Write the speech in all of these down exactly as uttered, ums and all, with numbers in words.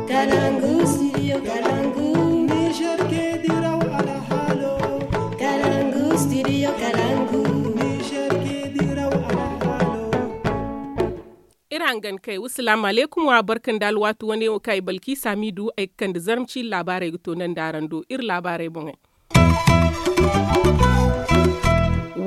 Kalangu studio kalangu. Niger ke diraw alhalo. Kalangu studio kalangu. Niger ke diraw alhalo. Iri hangan kay wasalaamu aleykum wa barka nda alwaati wane wo kaŋ ay balki saamiidu ay ga kande zarma ciiri laabaarey ga to nandi araŋ do iri laabaarey boŋey.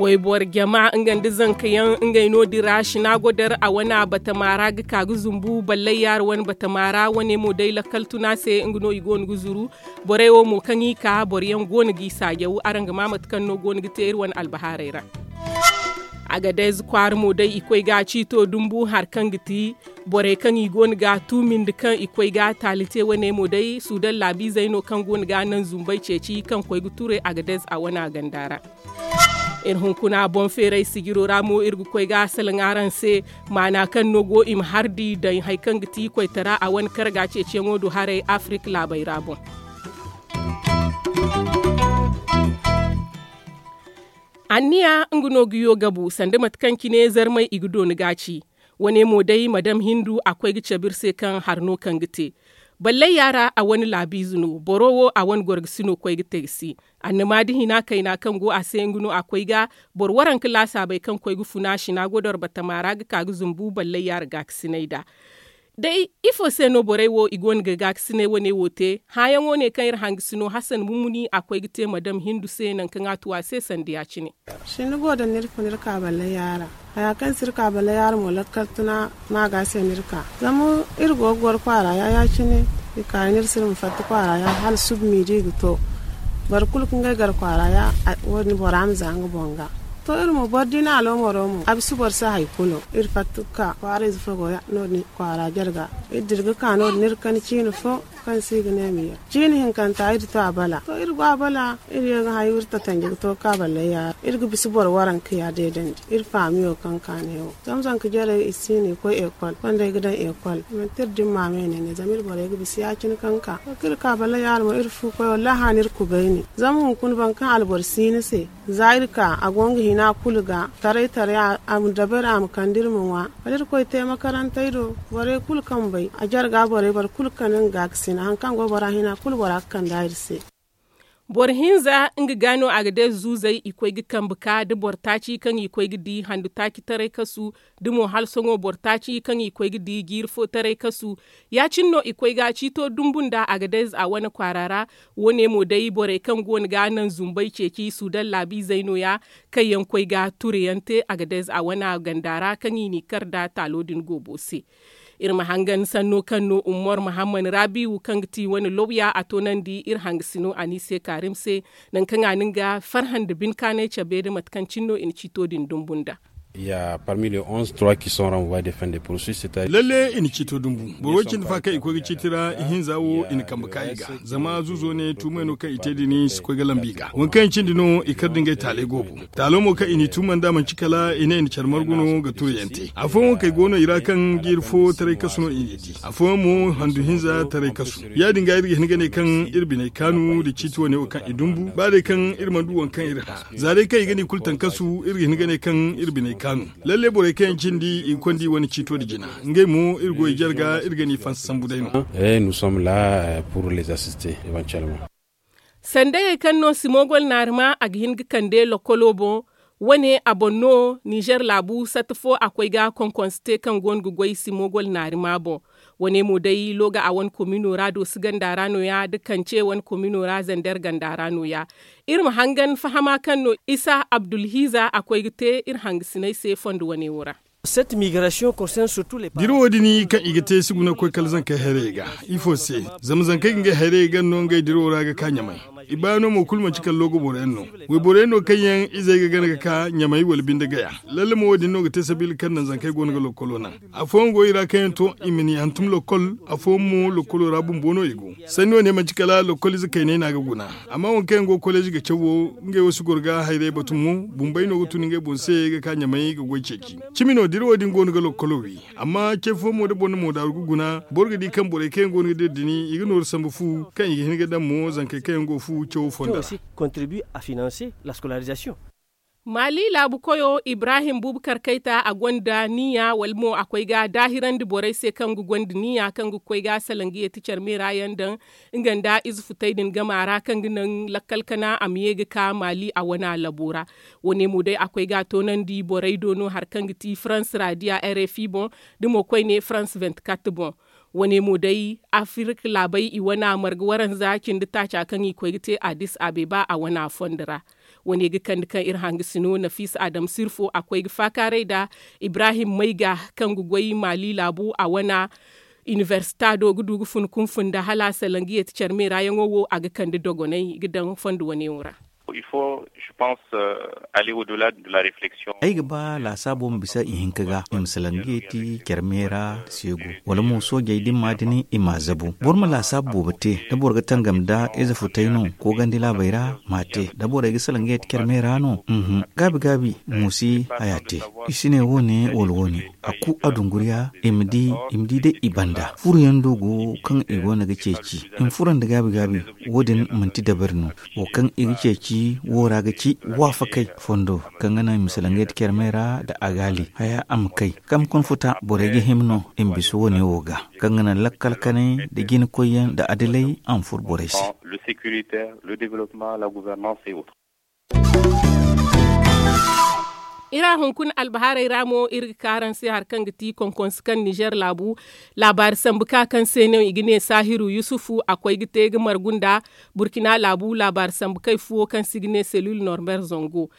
Wayboro jama nga nda zanka yaŋ ngey no- din ra sina godar a wane batama ra ga ka ga zumbu ballay yaara wane batama ra wane mo day lakkal tuna se nga no i go no ga zuru. Borey wo mo kaŋ i ka boro yaŋ go no g'i saajaw araŋ ga ma mate kaŋ no go no ga te iri wane albahaarey ra. Agadez kwaara mo day i koy ga ciito dumbu hari kaŋ ga ti borey kaŋ i go no ga tuumindi kaŋ i koy ga taali te wane mo day suudan laabiizey no kaŋ go no ga naŋ zumbey ceeci kaŋ koy ga ture agadez a wane ganda ra. Iri hunkuna boŋ feeray sijiro ra mo iri ga koy ga salaŋ araŋ se maana kaŋ no go i ma hardi daŋ hari kaŋ ga ti koytara a wane karga ceeciyaŋo do haray afirika laabey ra boŋ. Anniya nga no ga yo gabu sanda mate kaŋ cine zarmey i ga dooni ga ci. Wane mo day madam hindu a koy ga cabe iri se kaŋ hari no kaŋ ga te ballay yaara a wane laabiize no boro wo a wane gorgasi no koy ga te ga si. Annama da hina kayna kaŋ go a se nga no a koy ga boro waranka laasaabey kaŋ koy ga funa sina godor batama ra ga ka ga zumbu ballay yaara gaakasinay nd'a. Day ifo se no borey wo i go no ga gaakasinay wane wo te? Hããyaŋo ne kaŋ iri hangasino hasan mummuni a koy ga te madam hindu se nangu kaŋ a tu a se sanda ya- cine. Sinda go da ni iri fun iri ka ballay yaara. Haya kaŋ si iri ka ballay yaara mo lakkal tuna ma ga se no iri ka zama iri go ga goro kwaara ya ya- cine. I ka ni iri si iri ma fatta kwaara ya hala suba miidi i ga to. Boro kulu kaŋ ga ay gar kwaara ya wo- din bora ma za nga boŋ ga. To iri mo boro da i na aloomaro mo a bisa boro se hari kulu iri fatta ga ka kwaara ize fo go ya no- din kwaara jarga. Iri dira ga ka no- din iri kani ciina fo kaŋ se i ga ne ma ye ciina hinkanta iri to a bala to iri go a bala. Iri ye ga hayo iri tatanje ga to ga ka ballay yaara iri ga bisa boro waranka ya deedandi iri faamiyo kaŋ ka ne wo zama zanka jarey i si no i koy ekol konda ay ga daŋ ekol. Manti iri dimma me ne ne zama iri borey ga bisa ya- cine kaŋ ka to kaŋ iri ka ballay yaara mo iri fu koy wallahi a na iri kubay ne. Zama hunkuna boro kaŋ alboro si ni se za iri ka a go nga hina kulu ga taray taray a ma dabari a ma kande iri ma ŋwa. Kala iri koy te makarantey do borey kulu kaŋ bay a jarga borey boro kulu kande nga ga ga sina hari kaŋ go bora hina kulu bora ga kande a iri se. Boro hinza nga ga no a ga day zuuzey i koy ga kambe ka da boro taaci kaŋ i koy ga di handu taaci taray kasu da mo hala sohõ boro taaci kaŋ i koy ga di jiiri fo taray kasu. Ya- cine no i koy ga ciito dumbu nda a ga day za wane kwaara ra. Wo- ne mo day borey kaŋ go no ga naŋ zumbey ceeci suudaŋ laabiizey no- ya kaŋ yaŋ koy ga tureyaŋ te a ga day za wane ganda ra kaŋ i n'i kar nda taalo din goobo se. Iri ma hangan sanno kaŋ no ummar muhammad rabiwu kaŋ ga ti wane lawya a toonandi iri hangasino a n'i se kaarim se. Nangu kaŋ a na nga farhã nda binkaanay cabe nda mate kaŋ cine no i na ciito din dumbu nd'a. Ya parmi les onze trois qui sont renvoyés de fin de processus c'est à dire. Lalle i na ciito dumbu boro way cindi fa kaŋ i koy ga ciiti ra ihinza wo i na kambe ka i ga. Zama zuuzo ne tuumey no kaŋ i te din si koy ga lambu i ga waŋ kaŋ i cindi no i kar da ngey taaley goobo. Taalo mo kaŋ i n'i tuuma nd'a manci kala i ne i na care margu no ga tureyaŋ te afooyaŋ wo kaŋ ay go no i ra kaŋ jiiri fo taray kasu no i n'i di. Afooyaŋ mo handu hinza taray kasu. Ya- din ga iri ga hin ga ne kaŋ iri biney kaanu nda ciiti wane wo kaŋ i dumbu ba day kaŋ iri mana du waŋ kaŋ iri hã. Za day kaŋ i ga ni kulu taŋ kasu iri ga hin ga ne kaŋ iri biney kaanu. Lalle borey kaŋ yaŋ cindi i ga konda i wane ciito nda jina ngey mo iri go i jarga iri ga ni fansa sambu day no. Sandayey kaŋ no simogol naarima a ga hin ga kande lokolo boŋ. Wane a boŋ no nizer laabu satta fo a koy ga konkonse te kaŋ go no ga goy simogol naarima boŋ. Wane mo day looga a wane komino ra doosi ganda ra no- ya da kance wane komino ra zander ganda ra no- ya. Iri ma hangan fahama kaŋ no isa abdulhiiza a koy ga te iri hangasiney se fondo wane wo ra. Dirawo din kaŋ i ga te si guna ga koy kala zankey hayrayey ga. Ifo se? Zama zankey ga ngey hayrayey gana no ngey dirawo ra ga ka ɲamay. I baano mo kulu manci kala loogo boroyaŋ no. Wayboroyaŋ no kaŋ yaŋ izey ga gana ga ka ɲamay wala binde gaya. Lalle mo wo- din no ga te sabiila kaŋ naŋ zankey go no ga lokkolo naŋ. Afooyaŋ go i ra kaŋ yaŋ to i ma ni hantum lokkol. Afooyaŋ mo lokkolo ra bumbo no i go. Sanni wane manci kala lokkol ize kayney no a ga guna. Amma waŋ kaŋ yaŋ go koleezi ga caw wo ngey wo si goro ga hayray batu mo. Bumbey no ga tun ngey boŋ se ga ka ɲamay ga goy ceeci. Cimi no dirawo din go no ga lokkolo wi. Amma ce fo mo da boro na moodaaru ga guna boro ga di kaŋ borey kaŋ yaŋ go no ga dira din i ga nooru sambu fu kaŋ i ga hin ga daŋ mo zankey kaŋ yaŋ go fu cawo fonda ra. Maali laabu koyo ibrahim buubu karkayta a gonda niya wala mo a koy ga daahirandi borey se kaŋ ga gonda niya kaŋ ga koy ga salangiye ti care meera yaŋ daŋ nga nda ize futey din gama ra kaŋ ga naŋ lakkal kana a ma ye ga ka maali a wana labo ra. Wo- ne mo day a koy ga a toonandi borey do no hari kaŋ ga ti farans raadiya r f i boŋ da mo koyne farans venti kat boŋ. Wo- ne mo day afirka laabey i wana marga waranza cindi taaca kaŋ i koy ga te adis abeba a wana fondo ra. Wo- ne ga kande kaŋ iri hanga sino nafisa adam sirfo a koy ga faakaaray nda ibrahim mayga kaŋ ga goy maali laabu a wana inibersita do ga du ga fun kunfun nda hala a salangiye ti care meera yaŋo wo a ga kande dogonay ga daŋ fondo wo- ne wo ra. Ay ga ba laasaabo ma bisa ihinka ga i ma salangiye ti care meera seegu wala mo soojey da ni ma a dini i ma a zabu boro ma laasaabo boobo te da boro ga tangam nda ize futay no koogandi laabey ra ma a te da borey ga salangiye ti care meera no. Gaabi gaabi mo si haya te i si ne wo- ne wala wo- ne a ku a dunguriya i ma di day i banda furo yaŋ do go kaŋ i go no ga ceeci i ma furo nda gaabi gaabi. Wo- din manti dabari no wo kaŋ i ga ceeci wo ra ga ci waafakey fondo kaŋ ga naŋ i ma salaŋ ga yadda care meera nda agaali haya a ma kay kaŋ ma konfuta borey ga hima no i ma bisa wo- ne wo ga kaŋ ga naŋ lakkal kanay nda jinakoyyaŋ nda adilay a ma furo borey se. Iri a hunkuna albahaarey ra mo iri ga ka araŋ se hari kaŋ ga ti konkonse kaŋ nizer laabu laabaari sambu ka kaŋ se no i ga ne saahiru yusufu a koy ga te ga margu nda burkina laabu laabaari sambu kay fuwo kaŋ se i ga ne selil normer zango.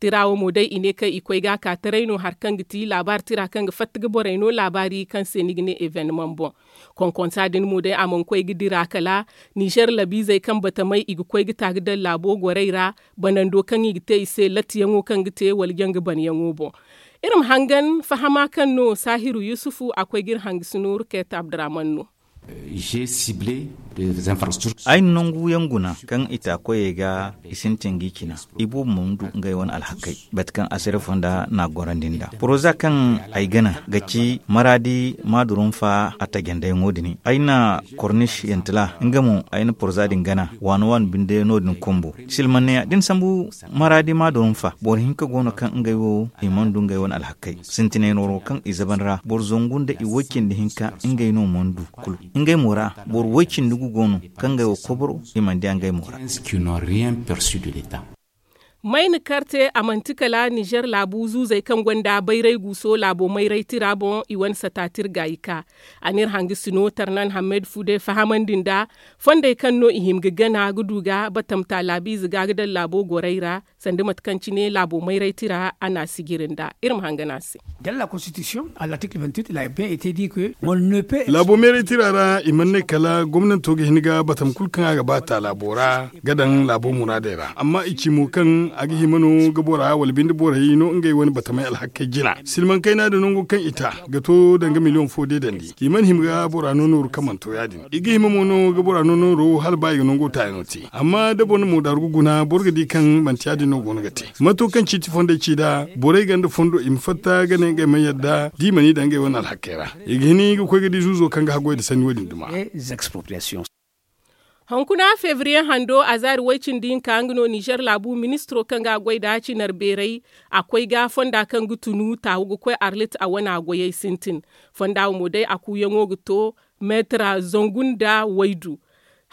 Tira wo mo day i ne kaŋ i koy ga a ka taray no hari kaŋ ga ti laabaari tira kaŋ ga fatta ga borey no laabaari kaŋ se ni ga ne evenemaŋ boŋ. Konkonsa din mo day a mana koy ga dira kala nizer labiizey kaŋ batamay i ga koy ga ta ga daŋ laabo gorey ra banando kaŋ i ga te i se lattiyaŋo kaŋ ga te wala janga banyaŋo boŋ. Iri ma hangan fahama kaŋ no saahiru yusufu a koy ga iri hanga si nooru kayta abdurahman no. Ay na nangu yaŋ guna kaŋ i ta koyey ga i sintin ga i cina. I boobo mana du ngey wane alhakey bate kaŋ asare fonda n'a gorandi nd'a poroza kaŋ ay gana ga ci maraadi maadurunfa a tajandayaŋo din ay na kornis yantila nga mo ay na poroza din gana waano waano binde no- din kumbu silmanneya da ni sambu maraadi maadurunfa boro hinka go no kaŋ ngey wo i mana du ngey wane alhakey sintinay nooro kaŋ i zaban ra boro zangu nda i woy cindi hinka ngey no mana du kulu ngey mo ra boro woy cindi gu go no kaŋ ngey wo koboro i mana diya ngey mo ra. Mayna karte a manti kala nizer laabu zuuzey kaŋ gonda bayray guuso laabo mayray tira boŋ i wane sata tira gaayi ka a n'iri hanga sino tarnan hammed fude fahamandi nda fondey kaŋ no i hima ga gana ga du ga batamta laabiize ga ga daŋ laabo gorey ra sanda mate kaŋ cine laabo mayray tira a n'a sijiri nda iri ma hanga no a se. Laabo mayray tira ra i mana ne kala gomnanto ga hin ga batam kulu kaŋ a ga ba ta laabo ra ga daŋ laabo muraadey ra amma i ci mo kaŋ a ga hima no ga bora wala binde borey no ngey wane batamey alhakey jina silmaŋ kayna din nango kaŋ i ta ga to danga miliyoŋ fo deedandi i mana hima ga bora no nooru kaŋ mana to ya- din i ga hima mo no ga bora no nooro hala ba i ga nango taayaŋo te amma da boro na moodaaru ga guna boro ga di kaŋ manti ya- din no go no ga te mato kaŋ ciiti fondey ci nd'a borey ganda fondo i ma fatta ga ne ngey mana yadda da i mana i daŋ ngey wane alhakey ra i ga hin ga koy ga di zuuzo kaŋ ga haggoy nda sanni wo- din duma. Hunkuna febriye hando a zaari way-cindi hinka nga no nizer laabu ministiro kaŋ ga a goy nd'a cinari beeray a koy ga fonda kaŋ ga tunu taawu ga koy arlit a wana goyey sintin. Fonda wo mo day a kuuyaŋo ga to meetira zangu nda waydu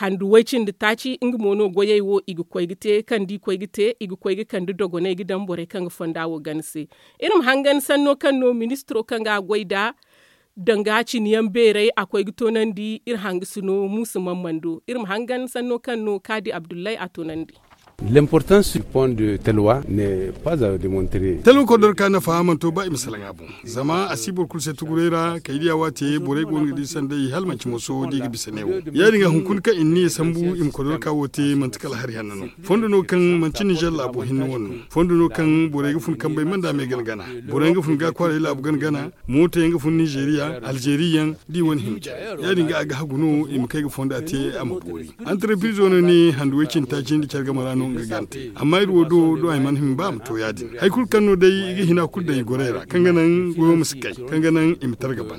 handu way-cindi taaci nga mo no goyey wo i ga koy ga te kaŋ da i koy ga te i ga koy ga kande dogonay ga daŋ borey kaŋ ga fonda wo gana se. Iri ma hangan sanno kaŋ no ministiro kaŋ ga a goy nd'a danga cine yaŋ beeray a koy ga toonandi iri hanga sino muusa mammando iri ma hangan sanno kaŋ no kaadi abdullahi a toonandi. L'importance du pont de telwa n'est pas à demontrer. Telwa kodorka nafa mana to ba i ma salaŋ a boŋ zama a si boro kulu se tuguray ra kay diya waate borey go no ga di sanday hala manci moso da i ga bisa ne wo ya- din ga hunkuna kaŋ i na niya sambu i ma kodorka wo te manti kala hari hanno no. Fondo no kaŋ manci nizer laabo hinne wane no fondo no kaŋ borey ga fun kambey manda me gana gana borey ga fun ga kwaaray laabu gana gana mooto yaŋ ga fun nizeriya alzeri yaŋ da i wane hima care ya- din ga a ga hagu no i ma kay ga fonda te a ma boori. Antarpiizo no ne handu way cindi taaci nda care game ra no nga gante amma iri wo do do ay mana hima ba a ma to ya- din hari kulu kaŋ no day i ga hina kulu daŋ i gorey ra kaŋ ga naŋ goyo ma si kay kaŋ ga naŋ i ma targa ban.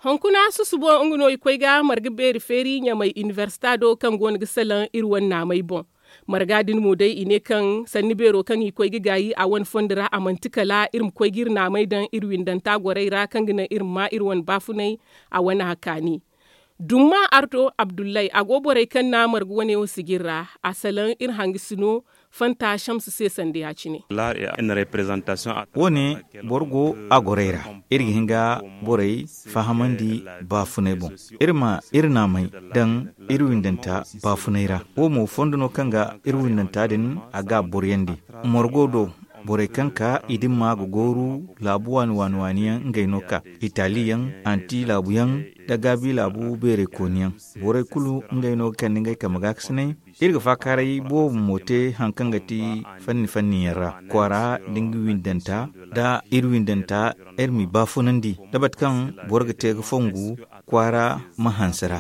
Hunkuna susubo nga no i koy ga marga beeri feeri ɲamay inibersita do kaŋ go no ga salaŋ iri wane naamey boŋ. Marga din mo day i ne kaŋ sanni beero kaŋ i koy ga gaayi a wane fondo ra a manti kala iri ma koy ga iri naamey daŋ iri windanta gorey ra kaŋ ga naŋ iri ma maa iri wane baafunay. A wane a kaani dumma ardo abdullay a go borey kaŋ na marga wane wo sijir ra. A salaŋ iri hangasino fanta shamsu se sanda ya- cine. Wo- ne boro go a gorey ra. Iri ga hin ga borey fahamandi baafunay boŋ. Iri ma iri naamey daŋ iri windanta baafunay ra. Wo mo fondo no kaŋ ga iri windanta din a ga a boroyandi. Margo do borey kaŋ ka i dimma ga gooru laabu waani waani waani yaŋ ngey no ka itali yaŋ anti laabu yaŋ da gaabi laabu beerey kooni yaŋ. Borey kulu ngey no ga kande ngey kambe gaakasinay. Iri ga faakaaray boobo mo te hari kaŋ ga ti fanni fanni yaŋ ra kwaara da nga windanta da iri windanta iri m'i baafunandi da mate kaŋ boro ga te ga fongu kwaara ma hanse ra.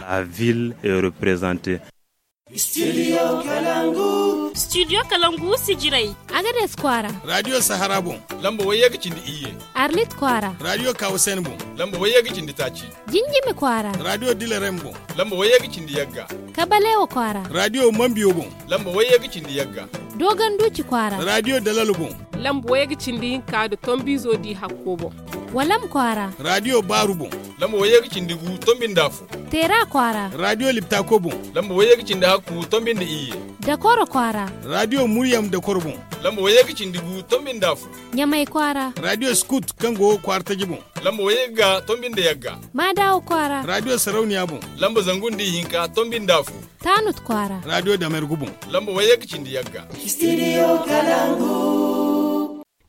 Studio kalangu sijirey. Agades kwaara. Radiyo sahara boŋ lamba wayye ga cindi iyye. Arlit kwaara. Radiyo kawusen boŋ lamba wayye ga cindi taaci. Jinjimi kwaara. Radiyo dilarem boŋ lamba wayye ga cindi yagga. Kabalewa kwaara. Radiyo mambiyo boŋ lamba wayye ga cindi yagga. Dogon duuci kwaara. Radiyo dalalo boŋ lamba wayye ga cindi hinka nda tombizo di hakko boŋ. Walam kwaara. Radiyo baaru boŋ lamba wayye ga cindi gu tombi nda afo. Teera kwaara. Radiyo liptako boŋ lamba wayye ga cindi hakku tombi nda iyye. Dakoro kwaara. Radiyo muryam dakoro boŋ lamba wayye ga cindi gu tombi nda afo. Ɲamay kwaara. Radiyo skut kaŋ go kwaara taji boŋ lamba wayye ga tombi nda yagga. Maadawa kwaara. Radiyo sarauniya boŋ lamba zangu nda ihinka tombi nda afo. Taanut kwaara. Radiyo damergu boŋ lamba wayye ga cindi yagga.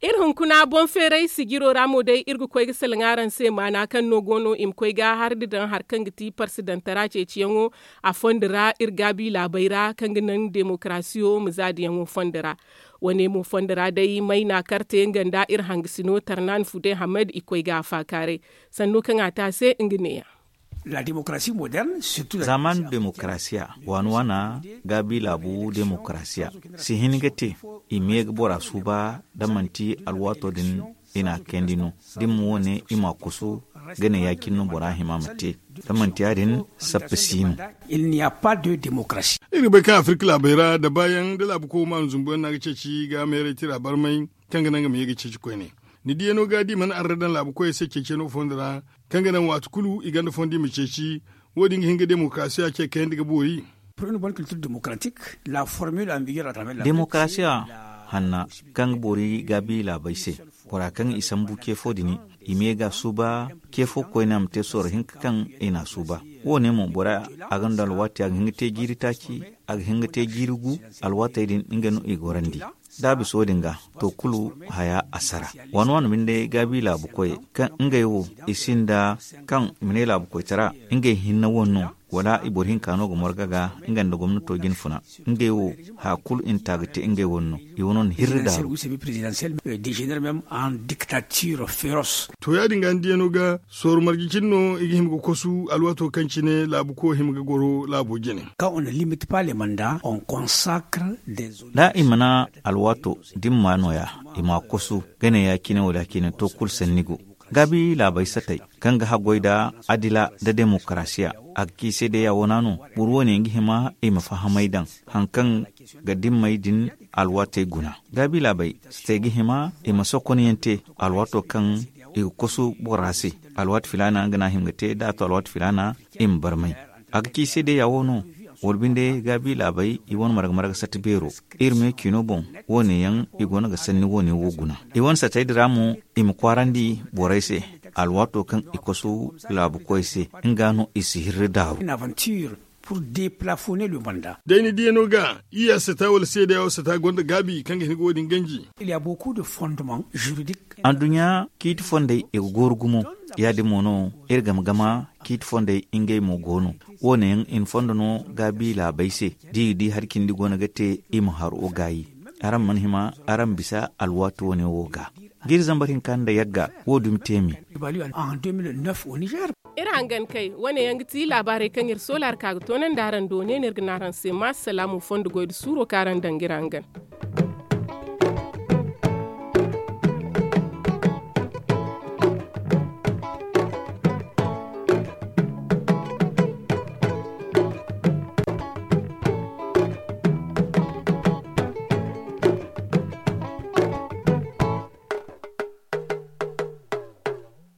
Iri hunkuna boŋ feeray sijiro ra mo day iri ga koy ga salaŋ araŋ se maana kaŋ no go no i ma koy ga hari nda daŋ hari kaŋ ga ti parsidantara ceeciyaŋo. A fondo ra iri gaabi laabey ra kaŋ ga naŋ demokarasiyo ma zaadiyaŋo fondo ra. Wane mo fondo ra day mayna karte nga nda iri hangasino tarnan fude hamed i koy ga a faakaaray. Sanno kaŋ a te a se nga neeya. Zaaman demokarasiya waani waana gaabi laabu demokarasiya si hin ga te. I ma ye ga bora suuba da manti alwaato din i n'a kayandi no. Da i ma wo- ne i m'a koso gane ya- cine no bora hima ma te. Da manti ya- din sappa si no. Iri ga bay kaŋ afirka laabey ra da baayaŋ da laabu koy maanu zumbuyaŋ no a ga ceeci ga meeray tira barmay kaŋ ga naŋ nga ma ye ga ceeci koyne. Ni diyaŋo ga da i mana arre daŋ laabu koyey se ceeciyaŋo fondo ra kaŋ ga naŋ waati kulu i gonda fondo i ma ceeci. Wo- din ga hin ga demokarasiya ce kayandi ga boori. Demokarasiya hanna kaŋ ga boori gaabi laabey se bora kaŋ i sambu ce fo din i ma ye ga a suuba ce fo koyne a ma te sorro hinka kaŋ i n'a suuba. Wo- ne mo bora a gonda alwaati a ga hin ga te jiiri taaci a ga hin ga te jiiri gu. Alwaatey din nga no i gorandi da a bisa wo- din ga to kulu haya a sara. Waani waani binde gaabi laabu koyey kaŋ ngey wo i sinda kaŋ i ma ne laabu koytara ngey hinne wane no wala i boro hinka no ga marga ga nga nda gomnato jine funa. Ngey wo haya kulu i na ta ga te ngey wane no i wane no na hirri daaru. To ya- din ga ni diyaŋo ga sooru marje cine no i ga hima ga kosu alwaato kaŋ cine laabu koy hima ga goro laabo jine. Da i mana alwaato dimma no- ya i m'a kosu gane ya- cine wala ya- cine to kulu sanni go. Gaabi laabey satey kaŋ ga haggoy nda adila nda demokarasiya a ga ci seedeya wana no. Boro wo- ne nga hima i ma fahamay daŋ hari kaŋ ga dimmey din alwaatey guna. Gaabi laabey satey ga hima i ma sokonyaŋ te alwaato kaŋ i ga kosu bora se. Alwaati filaana nga no a hima ga te da a to alwaati filaana i ma barmay. A ga ci seedeya wo no. Wala binde gaabi laabey i wane marga marga sata beero iri me ciino boŋ. Wo- ne yaŋ i go no ga sanni wo- ne wo guna i wane satey din ra mo i ma kwaarandi borey se. Alwaato kaŋ i kosu laabu koy se nga no i si hirri daaru. Day ni diyaŋo ga iya sata wala seedeya wo sata gonda gaabi kaŋ ga hin ga wo- din ganji. Anduɲɲa ciiti fondey i ga gooru gumo. Ya- din mo no iri game game ciiti fondey ngey mo go no. Wo- ne yaŋ i na fondo no gaabi laabey se da i ga di hari cindi go no ga te i ma haro gaayi. Araŋ mana hima araŋ ma bisa alwaati wo- ne wo ga. Jiiri zambar hinka nda yagga wo- dumi te me. Iri hangan kay wane yaŋ ga ti laabaarey kaŋ iri soola ra ka ga toonandi araŋ do ne no iri ga ne araŋ se ma salaamu fondo goy nda suuro kaŋ araŋ daŋ ga iri hangan.